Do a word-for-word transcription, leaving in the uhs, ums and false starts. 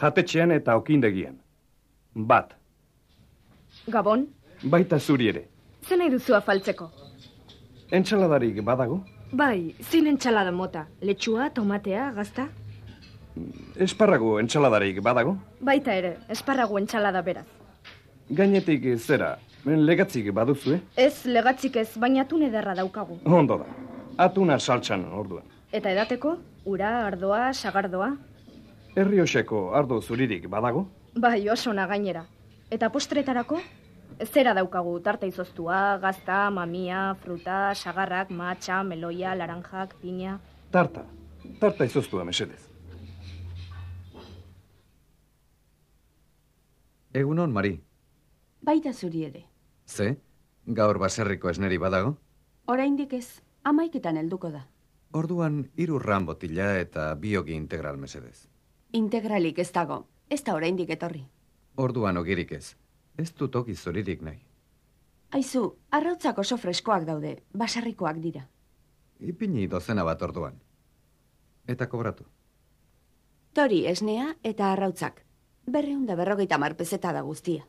Jatetxean eta okindegian. Bat. Gabon? Baita zuri ere. Zer nahi duzu afaltzeko? Entsaladarik badago? Bai, zin entsalada mota. Letxua, tomatea, gazta? Esparrago entsaladarik badago? Baita ere, esparrago entsalada beraz. Gainetik zera, legatzik baduzu, eh? Ez, legatzik ez, baina atun ederra daukagu. Ondo da. Atuna saltsan orduan. Eta edateko? Ura, ardoa, sagardoa? Errioseko ardo zuririk badago? Bai, oso na gainera. Eta postretarako? Zera daukagu, tarta izoztua, gazta, mamia, fruta, sagarrak, matxa, meloia, laranjak, piña... Tarta. Tarta izoztua, mesedez. Egunon, Mari. Baita zuri ere. Ze? Gaur baserriko esneri badago? Oraindik ez, amaiketan helduko da. Orduan, hiru ran botila eta biogi integral mesedez. Integralik ez dago, ez da oraindik etorri. Orduan ogirik ez. Ez dut ogi zuririk nahi. Aizu, arrautzak oso freskoak daude, basarrikoak dira. Ipini dozena bat orduan. Eta kobratu. Tori esnea eta arrautzak. Berreunda berrogeita marpezeta da guztia.